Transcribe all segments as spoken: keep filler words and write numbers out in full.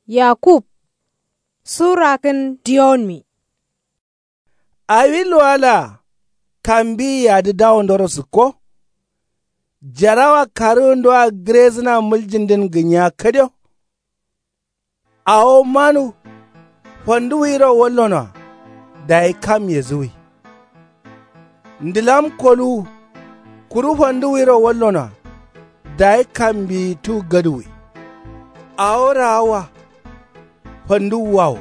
Yakub. Surakǝn diyonmi. Awi luwalaa kambiyi adǝ dawondoro sǝkko. Jarawa karǝwundoa gǝrezǝna muljindǝn gǝnyiya kadio. Awo manu fanduwuyiro wallonoa. Dayi kam yezǝwwi. Ndǝlam koluwu kuru fanduwuyiro wallonoa. Dayi kambiyitu gaduwwi. Awo raawa fanduwwa wo.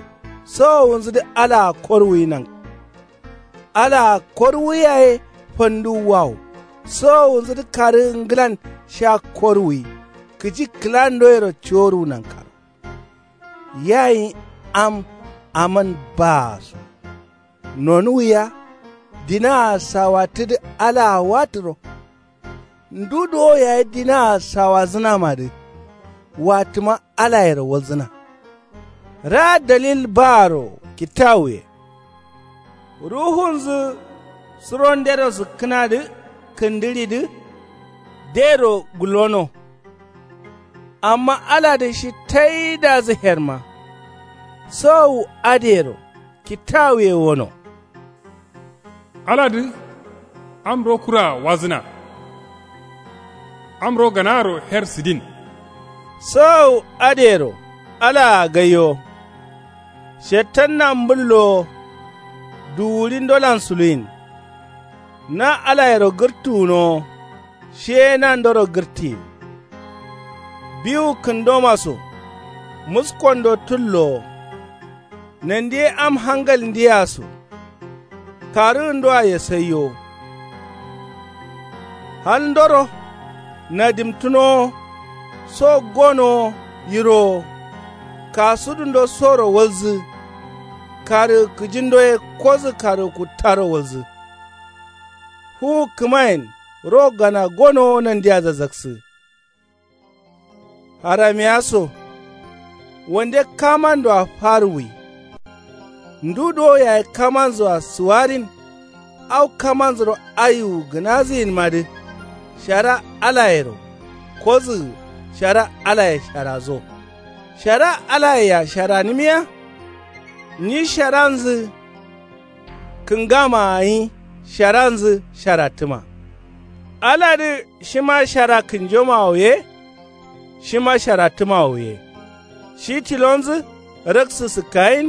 Sowowunzǝdǝ alaa korwuyi nan. Alaa korwuyi yaye fanduwwa wo. Sowowunzǝdǝ karǝ ngǝlan sha korwuyi. Kǝji kǝlandoyero ciworwu nankaro. Yayi am aman baa so. Nonuwwiya dinaa sawattǝdǝ alaa watǝro. Ndu duwo yayi dinaa sawazǝnamadǝ. Watǝma alayero walzǝna. Raa dalil baaro kitawuye. Ruhunzǝ suro ndero sǝkkǝnadǝ kǝndǝɍidǝ dero gullono. Amma aladǝ shi taidazǝ herma. Sowu adǝyero kitawuye wono. Aladǝ amro kuraa wazǝna. Amro ganaaro her sǝdin. Sowu adǝyero alaa gaiyo. Shettanna mbǝllo wo. Duwuɍi ndolan suluyin. Na alayero gǝrtuwunowo. Shiye nandoro gǝrtiyin. Biwu kǝndoma so. Muskondo tullo wo. Nandi ye am hangal ndiya so. Karǝgǝndoa yesaiyo wo. Haldoro nadimtǝnowo. So gonowo yirowo. Kasudundo soro walzǝ. Karǝgǝ kǝjindo ye kozǝ karǝgǝ kuttaro walzǝ. Fuwu kǝmayen ro gana gonowo nandiya zazaksǝ. Haramiya so. Wande kamandoa faruwwi. Ndu duwo yayi kamanzoa suwarin. Au kamanzuro ayuwu gǝnazǝyinmadǝ. Shara alayero kozǝgǝ. Shara alaye sharazo. Shara alayea sharanǝmiya. Nyi sharanzǝ kǝngama gǝnyi. Sharanzǝ sharattǝma. Aladǝ shima shara kǝnjomawo ye. Shima sharattǝmawo ye. Shi tilonzǝ raksǝ sǝkkayin.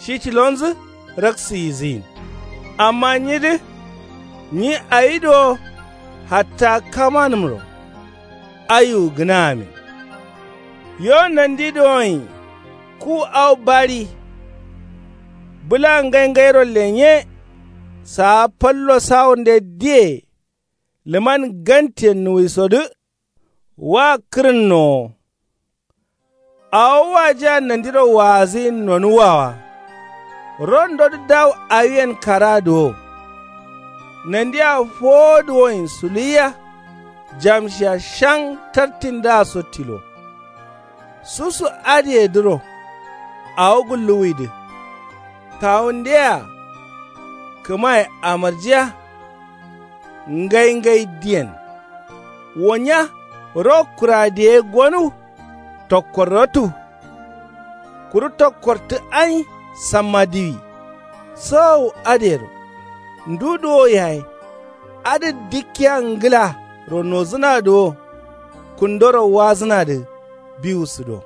Shi tilonzǝ raksǝ yizǝyin. Amma nyidǝ nyi awi duwo. Hatta kamanǝmro ayuwu gǝnaamin. Yo nandi duwonyi. Ku au baɍi. Bǝla ngaingairo lenye. Saa fallo sawurnde diye. Lǝman gantiyen nuwisodǝ. Wa kǝrǝnnowo. Awo wajiya nandiro waazǝyin nonuwwa wa. Rondodǝ dawu awiyen karadǝ wo. Nandia fowo duwonyi suluwiya. Jamshiya shaŋ tartindǝa so tilo. Susu adǝyedǝro. Awo gulluwwidǝ. Kawundeyea. Kǝmaye amarjiya. Ngaingai diyen. Wonya ro kuradǝ ye gonuw. Tokkorrotu. Kuru tokkortǝ anyi samma diwi. Sowowu adǝyero. Ndu duwo yaye. Adǝ dikkiya ngǝlaro nozǝnadǝ wo. Kundoro wazǝnadǝ biwu sǝdo.